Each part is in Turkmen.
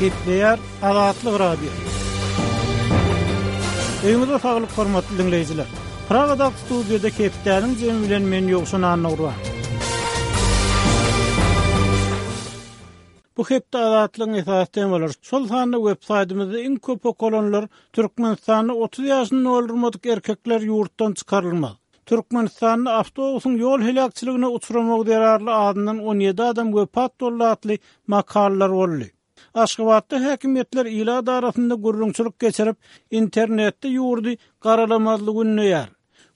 Gepleýär Azatlyk Radiosy. Öýüňize saglyk hormatly diňleýjiler. Pragadaky studiýada hepdäniň jemi bilen men Ýowşan Annagurban. Bu hepde Azatlygyň esasy temalary, şol sanda web saýtymyzda iň köp okalanlar Türkmenistanda 30 ýaşyny doldurmadyk erkekler ýurtdan çykarylmaz. Türkmenistanda awtobusyň ýol heläkçiligine uçramagy zerarly azyndan 17 adam wepat boldy atly makalalar boldy. Aşgabatda häkimiýetler ilat arasynda gürrüňçilik geçirip, internetde ýurdy garalamazlygy ündeýär.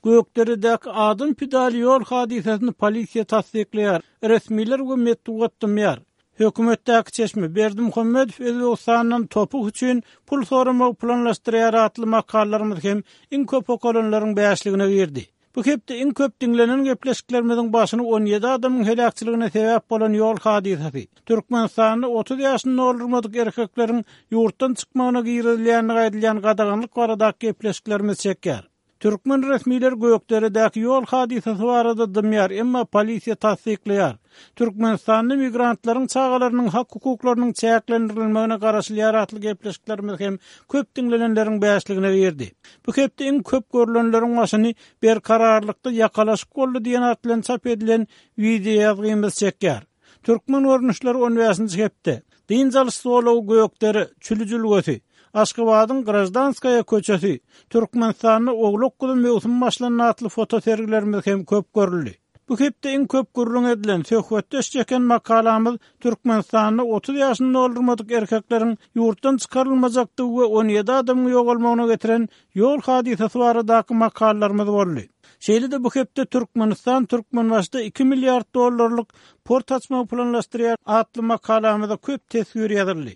Gökderedäki adam pidaly ýol hadysasyny polisiýa tassyklaýar, resmiler we metbugat dymýar. Hökümetdäki çeşme, Berdimuhamedow Özbegistandan topuk üçin pul soramagy planlaşdyrýar atly makalalarymyz hem iň köp okalanlaryň bäşligine girdi. Bu hepde iň köp diňlenen gepleşiklerimiziň başyny 17 adamyň heläkçiligine sebäp bolan ýol hadysasy, Türkmenistanda 30 ýaşyny doldurmadyk erkekleriň ýurtdan çykmagyna girizilýändigi aýdylýan gadaganlyk baradaky gepleşiklerimiz çekýär. Türkmen resmileri Gökderedäki ýol hadysasy barada dymýar, emma polisiýa tassyklaýar. Türkmenistanda migrantlaryň çagalarynyň hak-hukuklarynyň çäklendirilmegine garaşylýar atly gepleşiklerimiz hem köp diňlenenleriň bäşligine girdi. Bu hepde iň köp görlenleriň başyny Berkararlykda ýakalaşyk boldy diýen at bilen çap edilen wideoýazgymyz çekýär. Türkmen görnüşleri on bäşinji hepde. Dynç alyş zolagy Gökdere, Çüli jülgesi, Aşgabadyň Graždanskaýa köçesi, Türkmenistanda owlak-guzy möwsümi başlandy atly fotosergilerimiz hem köp görüldi. Bu hepde iň köp gürrüň edilen, söhbetdeş çeken makalamyz Türkmenistanda 30 ýaşyny doldurmadyk erkekleriň ýurtdan çykarylmajakdygy we 17 adamyň ýogalmagyna getiren ýol hadysasy baradaky makalalarymyz boldy. Şeýle-de bu hepde Türkmenistan Türkmenbaşyda iki milliard dollarlyk port açmagy planlaşdyrýar atly makalamyza köp teswir ýazyldy.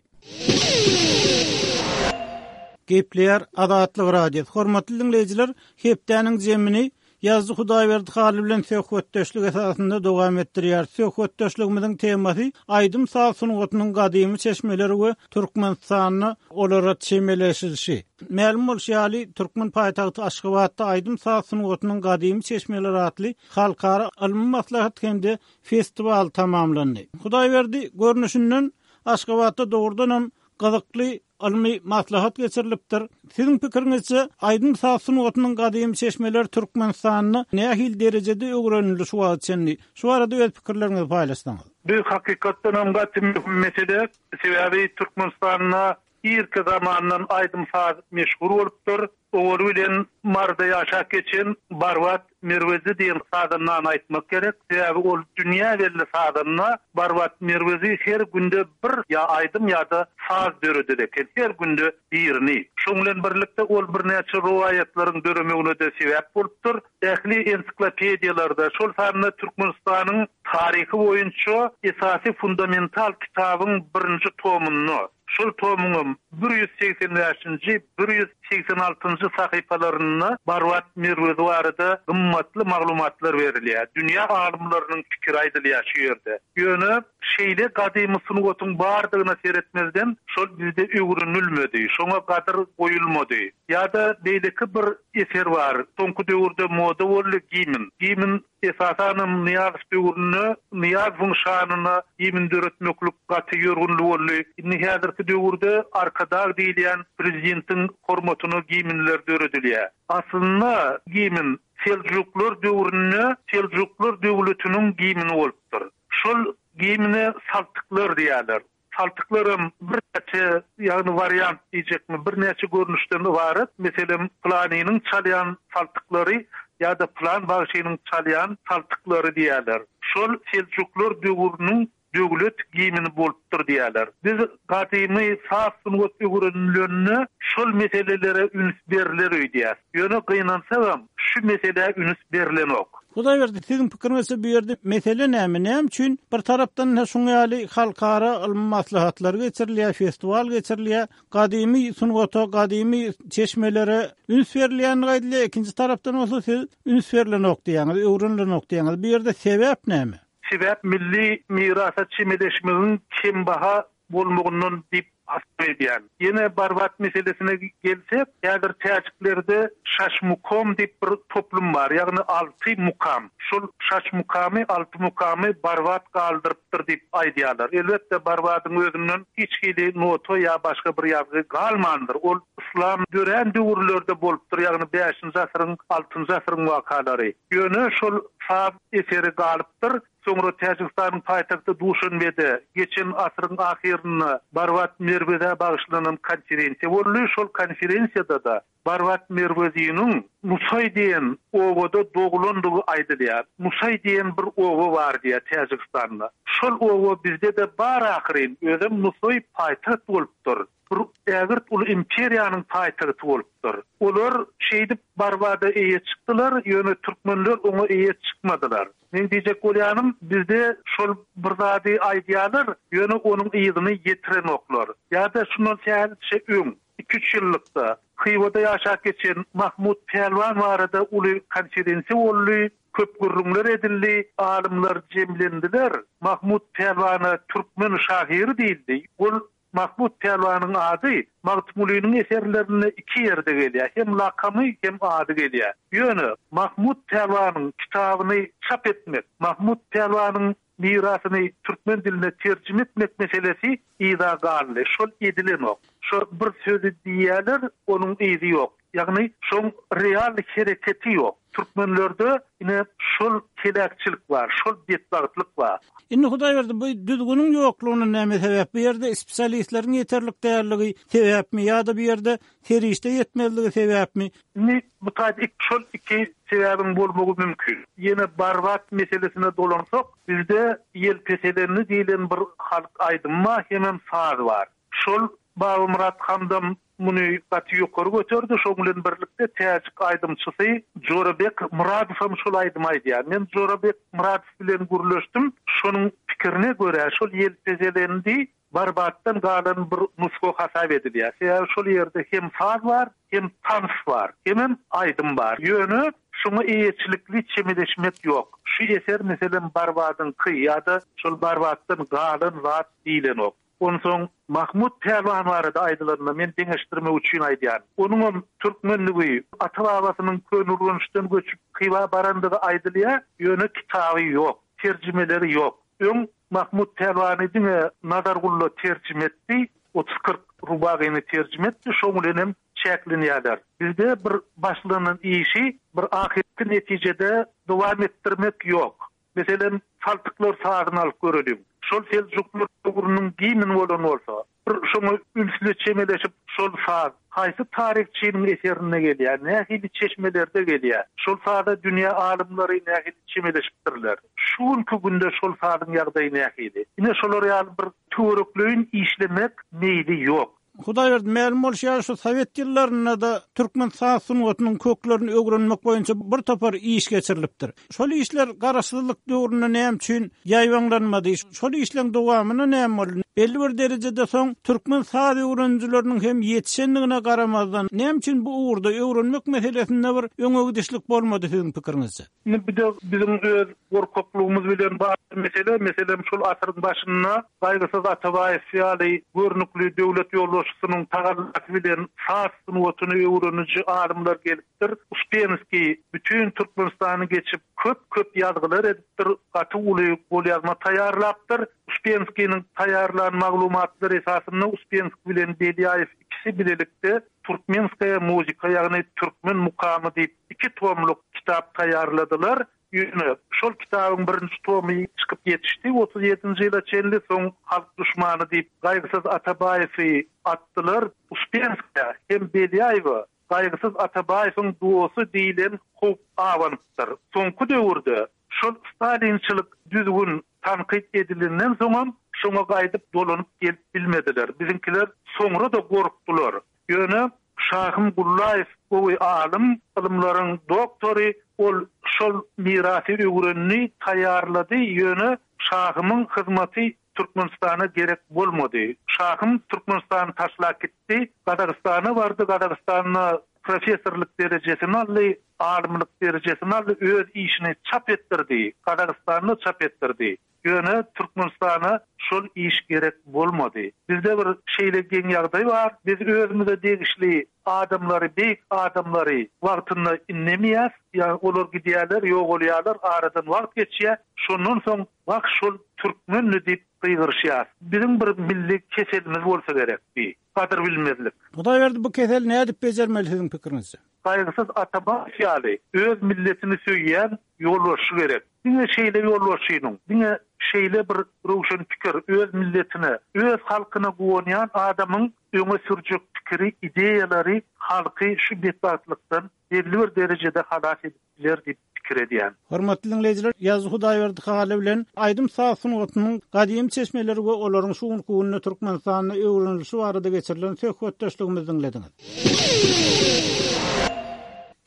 Gepleýär Azatlyk Radiosy. Hormatly diňleýjiler, hepdäniň jemini Ýazyjy Hudaýberdi Hally bilen söhbetdeşlik esasynda dowam etdirýäris. Söhbetdeşligimiziň temasy aýdym-saz sungatynyň gadymy çeşmeleri we Türkmenistanda olara çemeleşilişi. Mälim bolşy ýaly, türkmen paýtagty Aşgabatda aýdym-saz sungatynyň gadymy çeşmeleri atly halkara ylmy maslahat hem-de festiwal tamamlandy. Hudaýberdi, görnüşinden, Aşgabatda dogrudanam gyzykly ylmy maslahat geçirilipdir. Siziň pikiriňizçe, aýdym-saz sungatynyň gadymy çeşmeleri Türkmenistanda nähili derejede öwrenildi şu wagta çenli? Şu barada öz pikirleriňizi paýlaşsaňyz. Bu hakykatdanam gaty möhüm mesele. Sebäbi Türkmenistanda irki zamandan aýdym-saz meşhur bolupdyr. Owaly bilen Maryda ýaşap geçen Barbat Merwezi diýen sazandany aýtmak gerek. Sebäbi ol dünýä belli sazanda. Barbat Merwezi her günde bir ýa aýdym ýa-da saz döreder eken. Her günde birini. Şoň bilen birlikde ol birnäçe rowaýatlaryň döremegine-de sebäp bolupdyr. Ähli ensiklopediýalarda, şol sanda Türkmenistanyň taryhy boýunça esasy fundamental kitabyň birinji tomunda, Şol tomuňam 185-nji, 186-njy sahypalarynda Barbat Merwezi barada gymmatly maglumatlar berilýär. Dünýä alymlarynyň pikiri aýdylýar şu ýerde. Ýöne şeýle gadymy sungatyň bardygyna seretmezden, şol bizde öwrenilmedi, şoňa gadyr goýulmady. Ýa-da beýleki bir eser bar, soňky döwürde moda boldy, gimn. Gimn Esasanam Nyýazow döwründe Nyýazowyň şanyna gimn döretmeklik gaty ýörgünli boldy. Indi häzirki döwürde Arkadag diýilýän prezidentiň hormatyna gimnler döredilýär. Aslynda gimn Seljuklar döwründe Seljuklar döwletiniň gimni bolupdyr. Şol gimne saltyklar diýýärler. Saltyklaram birnäçe, ýagny wariant diýjekmi, birnäçe görnüşden ybarat. Meselem, pylanynyň çalýan saltyklary ýa-da pylan bagşynyň çalýan saltyklary diýýärler. Şol seljuklar döwrüniň döwlet gimni bolupdyr diýýärler. Biz gadymy saz sungat öwrenilende şol meselelere üns berler öýdýäs. Ýöne gynansagam, şu meselä üns berlenok. Hudaýberdi, siziň pikiriňizçe bu ýerde mesele näme? Näme üçin bir tarapdan ine şuň ýaly halkara ylmy maslahatlar geçirilýär, festiwal geçirilýär, gadymy sungata, gadymy çeşmelere üns berilýändigi aýdylýar, ikinji tarapdan bolsa siz üns berlenok diýýäňiz, öwrenilenok diýýäňiz. Bu ýerde sebäp näme? Sebäp milli mirasa çemeleşmegiň kembaha bolmagyndan diýip. hasap edýän. Ýene Barbat meselesine gelsek, häzir täjiklerde Şaşmukom diýip bir toplum bar, ýagny alty mukam. Şol Şaşmukamy, alty mukamy Barbat galdyrypdyr diýip aýdýarlar. Elbetde, Barbadyň özünden hiç hili nota ýa başga bir ýazgy galmandyr. Ol yslam dörän döwürlerde bolupdyr, ýagny bäşinji asyryň, altynjy asyryň wakalary. Ýöne şol saz eseri galypdyr. Soňra Täjigistanyň paýtagty Duşanbede geçen asyryň ahyrynda Barbat Merwezä bagyşlanan konferensiýa boldy. Şol konferensiýada-da Barbat Merweziniň Nusaý diýen obada doglandygy aýdylýar. Nusaý diýen bir oba bar diýýär Täjigistanda. Şol oba bizde-de bar ahyryn, özem Nusaý paýtagt bolupdyr. Bir ägirt uly imperiýanyň paýtagty bolupdyr. Olar şeýdip Barbada eýe çykdylar, ýöne türkmenler oňa eýe çykmadylar. Meň diýjek bolýanym, bizde şol bir zady aýdýarlar, ýöne onuň yzyny ýetirenoklar. Ýa-da şundan sähelçe öň, iki-üç ýyllykda, Hywada ýaşap geçen Mahmut Pälwan barada uly konferensiýa boldy, köp gürrüňler edildi, alymlar jemlendiler. Mahmut Pälwana türkmen şahyry diýildi. Ol Mahmut Pälwanyň ady Magtymgulynyň eserlerinde iki ýerde gelýär, hem lakamy, hem ady gelýär. Ýöne Mahmut Pälwanyň kitabyny çap etmek, Mahmut Pälwanyň mirasyny türkmen diline terjime etmek meselesi yza galdy. Şol edilenok. Şo bir sözi diýýärler, onuň yzy ýok. Ýagny şoň real hereketi ýok. Türkmenlerde ine şol heläkçilik bar, şol betbagtlyk bar. Indi Hudaýberdi bu düzgüniň ýoklugyna näme sebäp? Bu ýerde spesialistleriň ýeterlik dälligi sebäpmi ýa-da bu ýerde serişde ýetmezligi sebäpmi? Indi bu taýda şol iki sebäbiň bolmagy mümkin. Ýene Barbat meselesine dolansak, bizde Ýelpeselendi diýlen bir halk aýdymy bar, hemem saz bar. Şol Babamyrat Hamdam muny gaty ýokary göterdi. Şoň bilen birlikde täjik aýdymçysy Jorabek Myradow hem şol aýdymy aýdýar. Men Jorabek Myradow bilen gürleşdim. Şonuň pikirine görä, şol ýelpezelendi Barbatdan galan bir nusga hasap edilýär. Sebäbi şol ýerde hem saz bar, hem tans bar, hemem aýdym bar. Ýöne şoňa eýeçilikli çemeleşmek ýok. Şu eser, meselem, Barbadyňky ýa-da şol Barbatdan galan zat diýlenok. Onsoň Mahmut pälwan barada aýdylanda, men deňeşdirmek üçin aýdýan. Onuňam türkmenligi, ata-babasynyň Köneürgençden göçüp Hywa barandygy aýdylýar, ýöne kitaby ýok, terjimeleri ýok. Öň Mahmut pälwany diňe Nazar Gulla terjime etdi, otuz-kyrk rubagyny terjime etdi, şoň bilenem çäklenýärler. Bizde bir başlanan işi bir ahyrky netijede dowam etdirmek ýok. Meselem, saltyklar sazyny alyp göreliň. Şol seljuklar döwrüniň gimni bolan bolsa, bir şoňa ünsli çemeleşip, şol saz haýsy taryhçynyň eserinde gelýär, nähili çeşmelerde gelýär, şol saza dünýä alymlary nähili çemeleşipdirler, şu günki günde şol sazyň ýagdaýy nähili? Ine, şolar ýaly bir töwerekleýin işlemek meýli ýok. Hudaýberdi, mälim bolşy ýaly, şu sowet ýyllarynda-da türkmen saz sungatynyň köklerini öwrenmek boýunça bir topar iş geçirilipdir. Şol işler garaşsyzlyk döwründe näme üçin ýaýbaňlanmady? Şol işleň dowamyna näme boldy? Belli bir derejede soň türkmen saz öwrenijileriniň hem ýetişendigine garamazdan, näme üçin bu ugurda öwrenmek meselesinde bir öňe gidişlik bolmady siziň pikiriňizçe? Indi bu-da biziň öz gorkaklygymyz bilen bagly mesele. Meselem, şol asyryň başynda Gaýgysyz Atabaýew ýaly görnükli döwlet ýolbaşçysynyň tagallasy bilen saz sungatyny öwreniji alymlar gelipdir. Uspenskiý bütin Türkmenistany geçip, köp-köp ýazgylar edipdir, gaty uly golýazma taýýarlapdyr. Uspenskiniň taýýarlan maglumatlary esasynda Uspenskiý bilen Belýaýew ikisi bilelikde Turkmenskaýa muzika, ýagny Türkmen mukamy diýip iki tomluk kitap taýýarladylar. Ýöne şol kitabyň birinji tomy çykyp ýetişdi 37-nji ýyla çenli, soň halk duşmany diýip Gaýgysyz Atabaýewi atdylar. Uspenskaýa hem Belýaýewe Gaýgysyz Atabaýewiň dosty diýlen howp abanypdyr. Soňky döwürde şol stalinçilik düzgün tankyt edilenden soňam şoňa gaýdyp dolanyp gelip bilmediler. Biziňkiler soňra-da gorkdular. Ýöne Şahym Gullaýew gowy alym, ylymlaryň doktory, ol şol mirasy öwrendi, taýýarlady, ýöne Şahymyň hyzmaty Türkmenistana gerek bolmady. Şahym Türkmenistany taşlap gitdi, Gazagystana bardy, Gazagystanda professorlyk derejesini aldy, alymlyk derejesini aldy, öz işini çap etdirdi, Gazagystanda çap etdirdi. Ýöne Türkmenistana şol iş gerek bolmady. Bizde bir şeýle geň ýagdaý bar, biz özümize degişli adamlary, beýik adamlary wagtynda indemeýäs, ýagny olar gidýärler, ýogalýarlar, aradan wagt geçýär, şondan soň wah şol türkmendi diýip gygyryşýas. Biziň bir milli keselimiz bolsa gerek bi, gadyr bilmezlik. Hudaýberdi bu keseli nädip bejermeli siziň pikiriňizçe? Gaýgysyz Atabaýew ýaly öz milletini söýýän ýolbaşçy gerek. Diňe şeýle ýolbaşçynyň, diňe şeýle bir röwşen pikir, öz milletine, öz halkyna guwanýan adamyň öňe sürjek pikiri, ideýalary halky şu betbagtlykdan belli bir derejede halas edip biler diýip pikir edýän. Hormatly diňleýjiler, Ýazyjy Hudaýberdi Hally bilen aýdym-saz sungatynyň gadymy çeşmeleri we olaryň şu günki günde Türkmenistanda öwrenilişi barada geçirilen söhbetdeşligimizi diňlediňiz.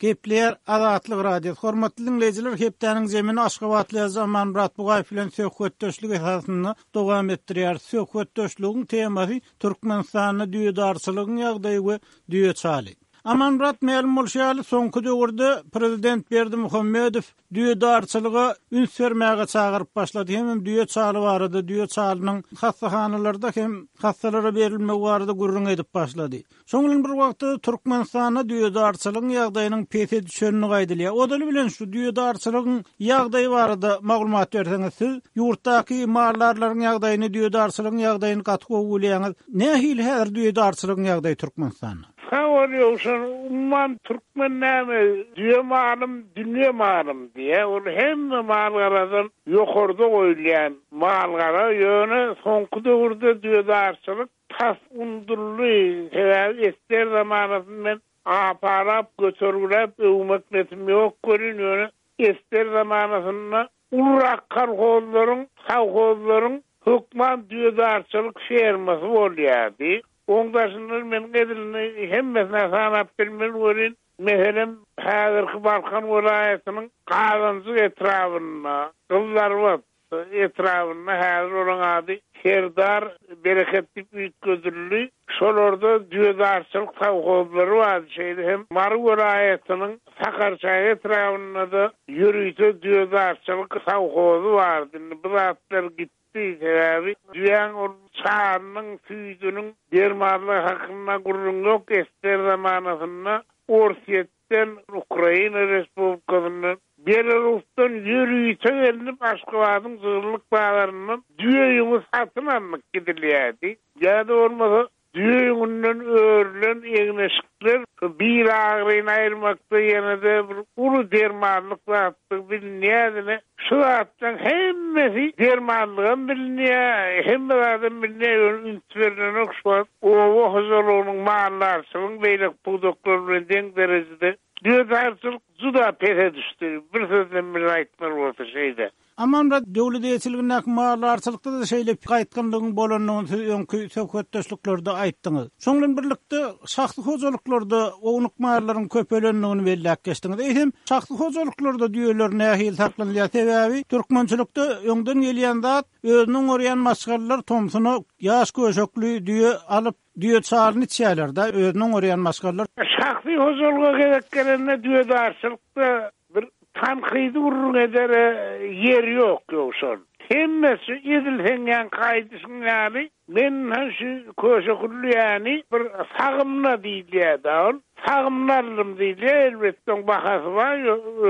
Gepleýär Azatlyk Radiosy. Hormatly diňleýjiler, hepdäniň zemini aşgabatly ýazyjy Amanmyrat Bugaýew bilen söhbetdeşlik esasynda dowam etdirýäris. Söhbetdeşligiň temasy Türkmenistanda düýedarçylygyň ýagdaýy we düýe çaly. Amanmyrat mälim bolşy ýaly, soňky döwürde prezident Berdimuhamedow düýedarçylyga üns bermäge çagyryp başlady hemem düýe çaly barada, düýe çalynyň hassahanalarda hem hassalara berilmegi barada gürrüň edip başlady. Şoň bilen bir wagtda Türkmenistanda düýedarçylygyň ýagdaýynyň pese düşendigi aýdylýar. Ozaly bilen şu düýedarçylygyň ýagdaýy barada maglumat berseňiz, siz ýurtdaky maldarlaryň ýagdaýyny, düýedarçylygyň ýagdaýyny gaty gowy bilýäňiz. Nähili häzir düýedarçylygyň ýagdaýy Türkmenistanda? Sag bol Ýowşan, umuman türkmen näme düýe malym dünýe malym diýýär, ol hemme mal-garadan ýokarda goýulýan mal-gara, ýöne soňky döwürde düýedarçylyk Tas unduldy, sebäbi esger zamanasyny men apalap, götergiläp öwmek netim ýok welin, ýöne esger zamanasynda ulurak kolhozlaryň, sowhozlaryň hökman düýedarçylyk fermasy bolýardy. Oň daşyndan men edilini hemmesini-ä sanap bilmen welin, meselem, häzirki Balkan welaýatynyň Gazanjyk etrabynda, Gyzlarbat, etrabynda, häzir olaň ady Serdar Bereket diýip üýtgedildi, şolarda düýedarçylyk sowhozlary bardy, şeýle hem Mary welaýatynyň Sakarçäge etrabynda-da ýörite düýedarçylyk sowhozy bardy. Indi bu zatlar gitdi, sebäbi düýäň ol çarynyň, süýdüniň dermanlygy hakynda gürrüň ýok, esger zamanasynda Orsýet Den, Ukraina Respublikasyndan, Belarusdan ýörite gelnip Aşgabadyň jygyllyk bazaryndan düýe ýüňi satyn alnyp gidilýärdi. Ýa-da bolmasa düýe ýüňünden örülen egin-eşikler bil agyryny aýyrmakda ýene-de bir uly dermanlyk zatdygy bilinýärdi. Şu zatlaryň hemmesi dermanlygam bilinýär, hemme zadam bilinýär, ýöne üns berlenok şu wagt oba hojalygynyň, maldarçylygyň beýleki pudaklar bilen deň derejede düýedarçylyk juda pese düşdi, bir sözlem bilen aýtmaly bolsa şeýle. Amanmyrat, döwlet eýeçiligindäki maldarçylykda-da şeýle gaýtgynlygyň bolandygyny siz öňki söhbetdeşliklerde aýtdyňyz. Şoň bilen birlikde, şahsy hojalyklarda ownuk mallaryň köpelendigini belläp geçdiňiz. Eýsem, şahsy hojalyklarda düýeler nähili saklanylýar? Sebäbi türkmençilikde öňden gelýän zat, özüni oňarýan maşgalalar tomsuna ýaş köşekli düýe alyp, düýe çalyny içýärler-de, özüni oňarýan maşgalalar. Şahsy hojalyga gezek gelende düýedarçylykda Bir tankydy gürrüň edere ýer ýok Ýowşan. Hemmesi edil seň ýaňky aýdyşyň ýaly, men şu köşe küllüýäni bir sagymna diýilýär-dä ol. Sagymna aldym diýilýär, elbetde oň bahasy bar,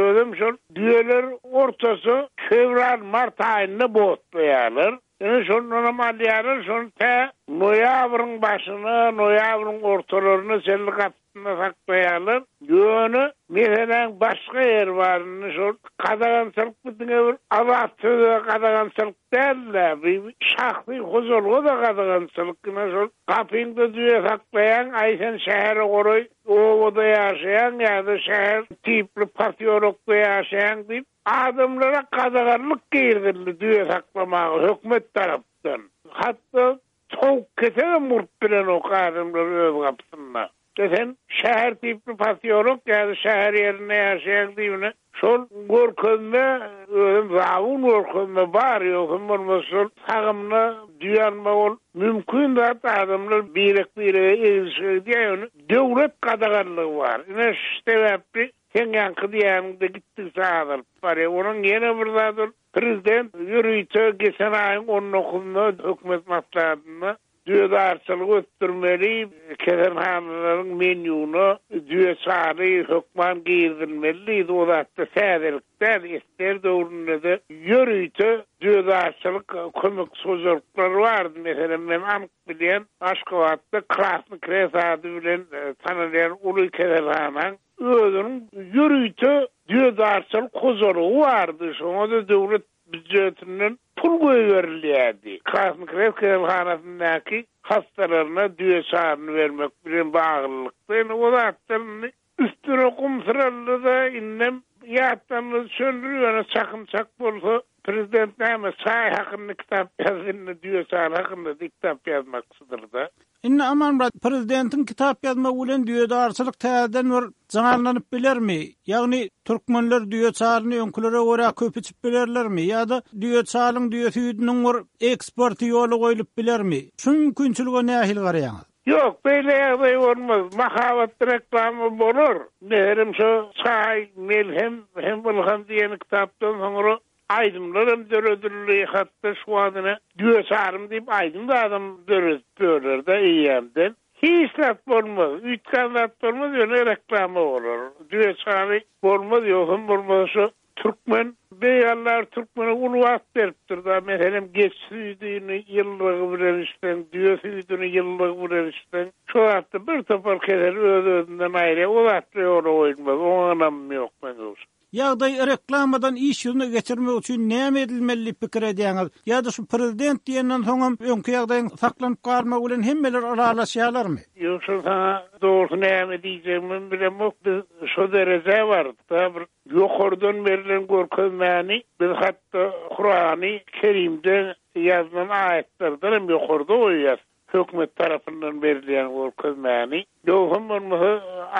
özem şol düýeler ortaça fewral, mart aýynda botlaýarlar. Ine şondanam alýarlar, şony tä noýabryň başyna, noýabryň ortalaryna çenli gapysynda saklaýarlar. Ýöne meseläň başga ýeri bar, indi şol gadagançylyk bu diňe bir azat söze gadagançylyk däl-de, bu şahsy hojalyga-da gadagançylyk. Ine şol gapyňda düýe saklaýaň, aý sen şähere golaý obada ýaşaýaň ýa-da şäher tipli posýolokda ýaşaýaň diýip, Adamlara gadaganlyk girizildi düýe saklamaga hökümet tarapdan. Hatda towuk ketegem urup bilenok adamlar öz gapysynda. De sen şäher tipli posýolok ýa-da şäher ýerinde ýaşaýaň diýibine şol görkezme özem zabun görkezme bar ýogsam bolmasa şol sagymda düýe almak ol mümkin zat adamlar birek birege eglişik edýär ýöne döwlet gadaganlygy bar ine şu sebäpli seň ýaňky diýýäniňde gitdigiçe azalyp barýar onuň ýene bir zat ol prezident ýörite geçen aýyň on dokuzynda hökümet maslahatynda Düýedarçylygy ösdürmeli, keselhanalaryň menýugyna düýe çaly hökman girizilmeli diýdi. O zatda täzelik däl, SSR döwründe-de ýörite düýedarçylyk kömekçi hojalyklary bardy. Meselem, men anyk bilýän, Aşgabatda Krasnyý Krest ady bilen tanalýan uly keselhanaň özüniň ýörite düýedarçylyk hojalygy bardy. Şoňa-da döwlet býujetinden pul goýberilýärdi. Krasnyý Krest keselhanasyndaky hassalaryna düýe çaryny bermek bilen baglylykda, indi o zatlar indi üstüne gum syraldy-da, indem ýatdanlar çöldür, ýöne çakym çak bolsa, prezident näme, çaý hakynda kitap ýazdy, indi düýe çary hakynda-da kitap ýazmakçydyr-da. Indi Amanmyrat, prezidentiň kitap ýazmagy bilen düýedarçylyk täzeden bir janlanyp bilermi? Ýagny türkmenler düýe çalyny öňkülere görä köp içip bilerlermi? Ýa-da düýe çalyň, düýe süýdüniň bir eksporty ýola goýlup bilermi? Şu mümkinçilige nähili garaýaňyz? Ýok, beýle ýagdaý bolmaz. Mahabat reklama bolar. Meselem, şo Çaý, melhem hem ylham diýen kitapdan soňra Aýdymlaram döredildi, hatda şu wagt ine Düýe çarym diýip aýdym zadam döredip ýörler-de eýýämden. Hiç zat bolmaz, üýtgän zat bolmaz, ýöne reklama bolar. Düýe çary bolmaz, ýogsam bolmasa şu türkmen Beýik Alla türkmene uly wagt beripdir-da, meselem geçi süýdüni ýyllygy bilen içseň, düýe süýdüni ýyllygy bilen içseň, şo zatda bir topar kesel öz-özünden aýyrýar, o zatlar ýola goýulmaz, oňa ynamym ýok meň ýogsam. Ýagdaýy reklamadan iş ýüzüne geçirmek üçin näme edilmeli diýip pikir edýäňiz? Ýa-da şu prezident diýenden soňam öňki ýagdaýyň saklanyp galmagy bilen hemmeler ylalaşýarlarmy? Ýok şol saňa dogrusy näme diýjegimem bilemok biz şo derejä bardyk-da bir ýokardan berlen görkezmäni biz hatda Kurany Kerimde ýazylan aýatlardan hem ýokarda goýýas. Hökümet tarapyndan berilýän görkezmäni. Ýogsam bolmasa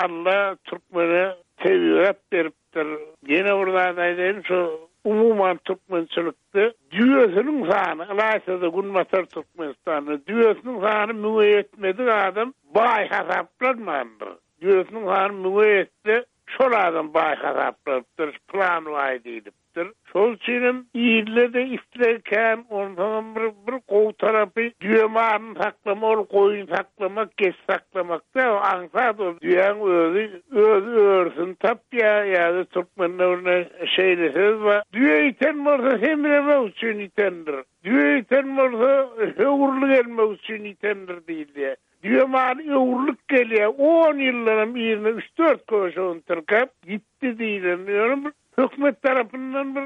Alla türkmene tebigat beripdir. Ýene bir zat aýdaýyn, şu umuman türkmençilikde düýesiniň sany, ylaýta-da günbatar Türkmenistanda düýesiniň sany müňe ýetmedik adam baý hasaplanmandyr. Düýesiniň sany müňe ýetse, şol adam baý hasaplanypdyr, pylan baý diýlip. Dir. Şol üçinem ilde-de isleg kän, onsoňam bir bir gowy tarapy düýe malyny saklama ol goýun saklamak, geçi saklamak däl, aňsat ol düýäň özi öz örüsini tapýar ýa-da türkmende bir ne şeýle söz bar, Düýe ýiten bolsa semremek üçin ýitendir, düýe ýiten bolsa höwürli gelmek üçin ýitendir diýilýär. Düýe maly öwrülip gelýär, on ýyldanam yzyna üç-dört köşegini tirkäp ýitdi diýlen ýöne bir Hökümet tarapyndan bir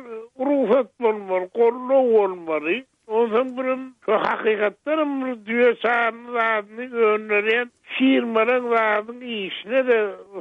rugsat bolmaly, goldaw bolmaly. Onsoň birem şu hakykatdanam bir düýe çaryny zadyny öndürýän firmalaň zadyň işine-de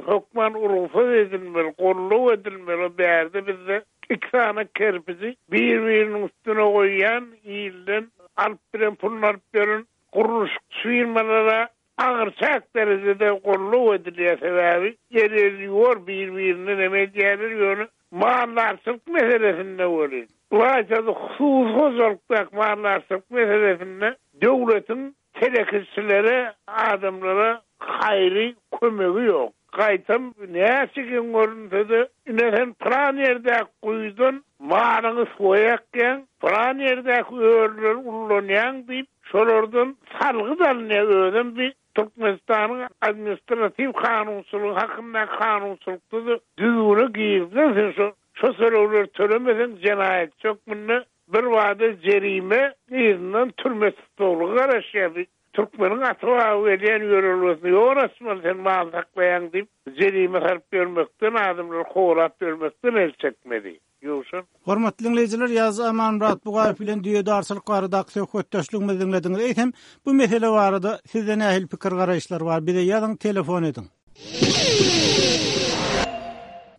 hökman rugsat edilmeli, goldaw edilmeli. O bärde bizde iki sany kerpiji bir-biriniň üstüne goýýan, ilden alyp bilen puluny alyp ýören gurluşykçy firmalara Agyr çäk derejede goldaw edilýär sebäbi el el ýuwar bir birini neme edýärler ýöne maldarçylyk meselesinde welin ylaýtada hususy hojalykdaky maldarçylyk meselesinde döwletiň telekeçilere adamlara haýry kömegi ýok gaýtam näçe geň görünsede ine sen pylan ýerdäki guýudan malyňy suwa ýakýaň pylan ýerdäki örüleri ullanýaň diýip Şolardan salgyt alynýar, özem bi Türkmenistanyň administratiw kanunçylygy hakyndaky kanunçylykda-da düzgüne girizilen sen şo şo tölegleri tölemeseň jenaýatçy hökmünde birbada jerime yzyndan türme tussaglygy garaşýar bi türkmeniň ata-baba gelýän ýörelgesine ýol açmaly sen mal saklaýaň diýip jerime salyp ýörmekden adamlary kowalap ýörmekden el çekmeli. Ýowşan. Hormatly diňleýjiler, Ýazyjy Amanmyrat Bugaýew bilen düýedarçylyk baradaky söhbetdeşligimizi diňlediňiz. Eýsem, bu mesele barada sizde nähili pikir-garaýyşlar bar? Bize ýazyň, telefon ediň.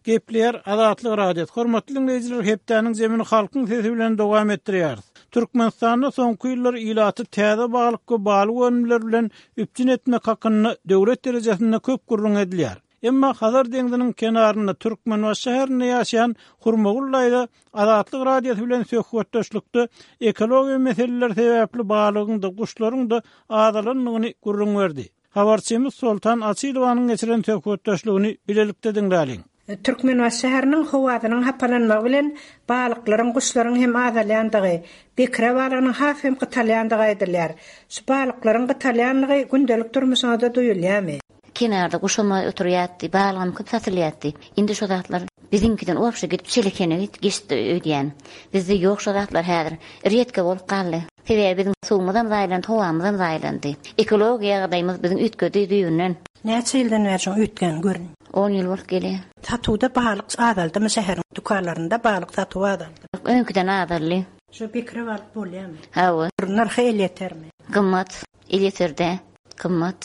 Gepleýär Azatlyk Radiosy. Hormatly diňleýjiler, hepdäniň zemini halkyň sesi bilen dowam etdirýäris. Türkmenistanda soňky ýyllar ilaty täze balyk we balyk önümleri bilen üpjün etmek hakynda döwlet derejesinde köp gürrüň edilýär. Emma Hazar deňziniň kenarynda Türkmenbaşy şäherinde ýaşaýan Hurmagül daýza Azatlyk Radiosy bilen söhbetdeşlikde ekologiýa meseleleri sebäpli balygyň-da, guşlaryň-da azalandygyny gürrüň berdi. Habarçymyz Soltan Açylowanyň geçiren söhbetdeşligini bilelikde diňläliň. Türkmenbaşy şäheriniň howasynyň hapalanmagy bilen balyklaryň, guşlaryň hem azalýandygy, bekre balygynyň has hem gytalýandygy aýdylýar. Şu balyklaryň gytalýanlygy gündelik durmuşyňyzda duýulýarmy? Kenarda guşam oturýardy, balygam köp satylýardy. Indi şo zatlar biziňkiden obşe gidip Çelekene geçdi öýdýän. Bizde ýok şo zatlar häzir. Redka bolup galdy. Sebäbi biziň suwumyzam zaýalandy, howamyzam zaýalandy. Ekologiýa ýagdaýymyz biziň üýtgedi düýbünden. Näçe ýyldan bäri şoň üýtgäni görünýär? On ýyl bolup gelýär. Satuwda balyk azaldymy şäheriň dükanlarynda balyk satuwy azaldymy? Öňküden azaldy. Şu bekre balyk bolýarmy? Hawa. Nyrhy elýetermi? Gymmat. Elýeter däl. Gymmat.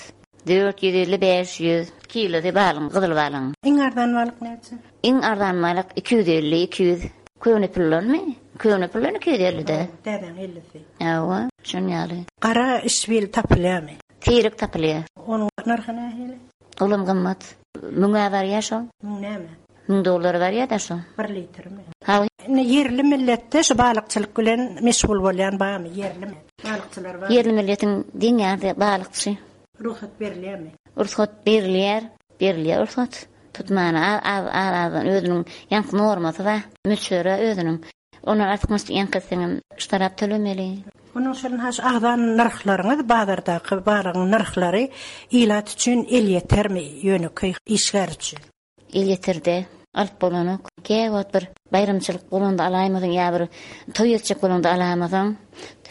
450, 500 kilosy balyň, gyzyl balyň. Iň arzan balyk näçe? Iň arzan balyk 250, 200. Köne puldanmy? Köne puldan 250-de. Täzäň ellisi. Hawa, şon ýaly. Gara işbil tapylýarmy? Seýrek tapylýar. Onuň nyrhy nähili? Olam gymmat. Müňe barýar şol. Müň näme? Müň dollara barýar-da şol. Bir litrmi? Hawa. Indi ýerli milletde şu balykçylyk bilen meşgul bolýan barmy? Ýerli balykçylar barmy? Ýerli milletiň deň ýarysy balykçy. Rugsat berilýärmi? Rugsat berilýär. Berilýär rugsat. Tutmana az az azdan özüniň ýaňky normasy bar. Möçberi özüniň. Ondan artykmaç ýaňky etseňem ştarap tölemeli. Onuň üçin ha şu agzan nyrhlaryňyz bazardaky balygyň nyrhlary ilat üçin elýetermi ýönekeý işgär üçin? Elýeterde alyp bolanok. Käwagt bir baýramçylyk bolanda alaýmasaň ýa bir toý etjek bolaňda alamasaň,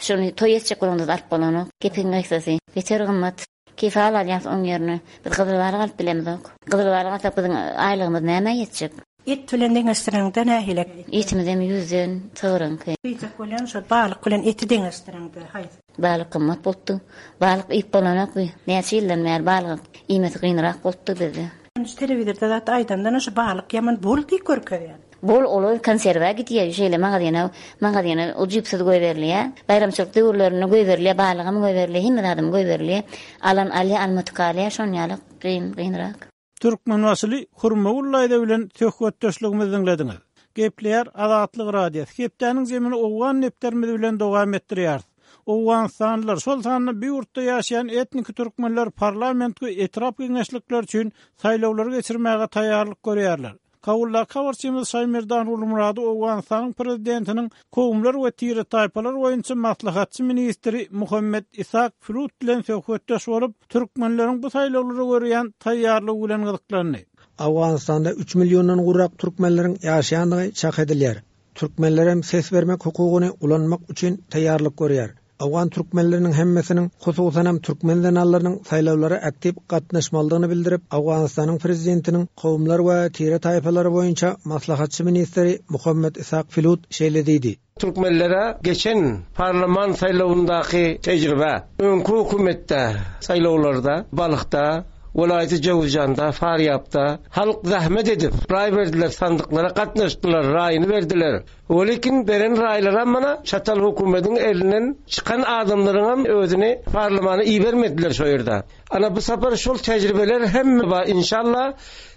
şony toý etjek bolaňda-da alyp bolanok. Gepiň gysgasy, beter gymmat. Kefal alýas oň ýerine. Biz gyzyl balyk alyp bilemizok. Gyzyl balyk alsak biziň aýlygymyz nämä ýetjek? Et bilen deňeşdireňde nähili? Etimizem ýüzden, sygryňky. Diýjek bolýan şo balyk bilen eti deňeşdireňde haýsy? Balyk gymmat bolupdy. Balyk iýip bolanok bi. Näçe ýyldan bäri balyk iýmesi kynrak bolupdy bizde. Şu telewizorda zat aýdandan şu balyk ýaman bol diýip görkezýär. Bol olar konserwa gidýär şeýle magazyna magazyna ujypsyz goýberilýär. Baýramçylyk döwürlerinde goýberilýär balygam goýberilýär hemme zadam goýberilýär. Alan alýar almadyk galýar şon ýaly kyn kynrak. Türkmenbaşyly Hurmagül daýza bilen söhbetdeşligimizi diňlediňiz. Gepleýär Azatlyk Radiosy. Hepdäniň zemini owgan depderimiz bilen dowam etdirýäris. Owganystanlylar, şol sanda bu ýurtda ýaşaýan etniki türkmenler parlament we etrap geňeşlikleri üçin saýlawlary geçirmäge taýýarlyk görýärler. Kabuldaky habarçymyz Şaýmerdan Gulmyrady Owganystanyň prezidentiniň kowumlar we tire-taýpalar boýunça maslahatçy ministri Muhammet Ishak Flut bilen söhbetdeş bolup, türkmenleriň bu saýlawlara görýän taýýarlygy bilen gyzyklandy. Owganystanda üç milliondan gowrak türkmenleriň ýaşaýandygy çak edilýär. Türkmenlerem ses bermek hukugyny ulanmak üçin taýýarlyk görýär. Owgan türkmenleriniň hemmesiniň, hususanam türkmen zenanlarynyň saýlawlara aktiw gatnaşmalydygyny bildirip, Owganystanyň prezidentiniň kowumlar we tire-taýpalary boýunça maslahatçy ministri Muhammet Ishak Filut şeýle diýdi. Türkmenlere geçen parlament saýlawyndaky tejribe, öňki hökümetde saýlawlarda Balhda, welaýaty Jöwüzjanda, Farýabda halk zähmet edip, raý berdiler, sandyklara gatnaşdylar, raýyny berdiler. Welikin beren raýlaram mana çatal hökümediň elinden çykan adamlaryňam özüni parlamana ibermediler şo ýerde. Ana bu sapar şol tejribeler hemme bar inşallah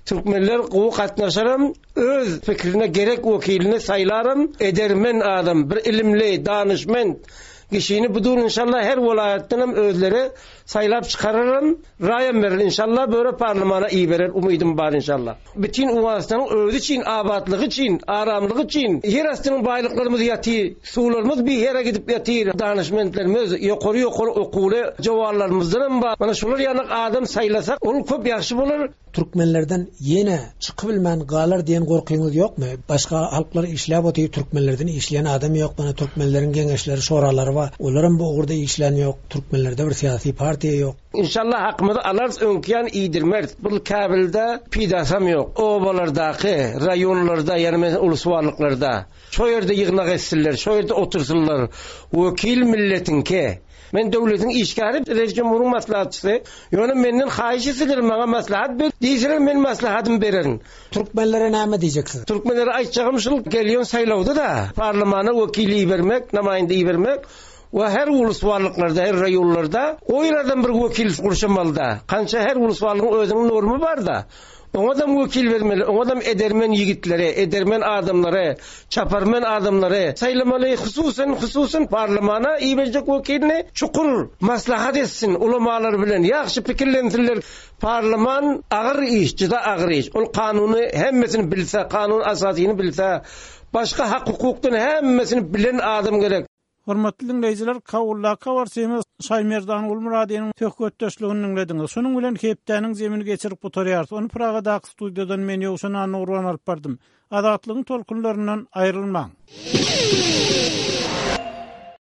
türkmenler gowy gatnaşaram öz pikrine gerek wekilini saýlaram edermen adam bir ilimli danyşment kişini budur inşallah her welaýatdanam özleri saýlap çykararam raýam berer inşallah böre parlamana iberer umydym bar inşallah. Bütin Owganystanyň özi üçin, abatlygy üçin, aramlygy üçin ýer astynyň baýlyklarymyz ýatyr, suwlarymyz bir ýere gidip ýatyr, danyşmentlerimiz, ýokary-ýokary okuwly jowanlarymyzdanam bar. Mana şular ýaly adam saýlasak, ol köp ýagşy bolar. Türkmenlerden ýene çykybilmän galar diýen gorkyňyz ýokmy? Başga halklar işläp otyr, türkmenlerden işleýän adam ýok, mana türkmenleriň geňeşleri, şoralary bar. bar. Olaram bu ugurda işlän ýok. Türkmenlerde bir syýasy partiýa ýok. Inşallah hakymyzy alarys öňki ýaly iýdirmeris. Bul Käbilde peýdasam ýok. Obalardaky, raýonlarda ýagny meselem ulusbarlyklarda şo ýerde ýygnak etsinler, şo ýerde otursynlar. Wekil milletiňki. Men döwletiň işgäri, Reis Jumhuryň maslahatçysy. Ýöne menden haýyş etseler maňa maslahat ber diýseler men maslahatymy bererin. Türkmenlere näme diýjeksiz? Türkmenlere aýtjagym şul gelýän saýlawda-da parlamana wekil ibermek, namaýynda ibermek we her ulusbarlyklarda, her raýonlarda goýlardan bir wekil gurşamalyda. Kança her ulusbarlygyň özüniň normy barda. Oňadam wekil bermeli, oňadam edermen ýigitleri, edermen adamlary, çaparmen adamlary saýlamaly, hususan, hususan parlamana iberjek wekilini çukur maslahat etsin ulamalar bilen, ýagşy pikirlensinler. Parlaman agyr iş, juda agyr iş. Ol kanuny hemmesini bilse, kanun asasyny bilse, başga hak-hukukdan hemmesini bilen adam gerek. Hormatly diňleýjiler, Kabuldaky habarçymyz Şaýmerdan Gulmyradynyň söhbetdeşligini diňlediňiz. Şunuň bilen hepdäniň jemini geçirip gutarýarys. Ony Pragadaky studiýadan men Ýowşan Annagurban alyp bardym. Azatlygyň tolkunlaryndan aýrylmaň!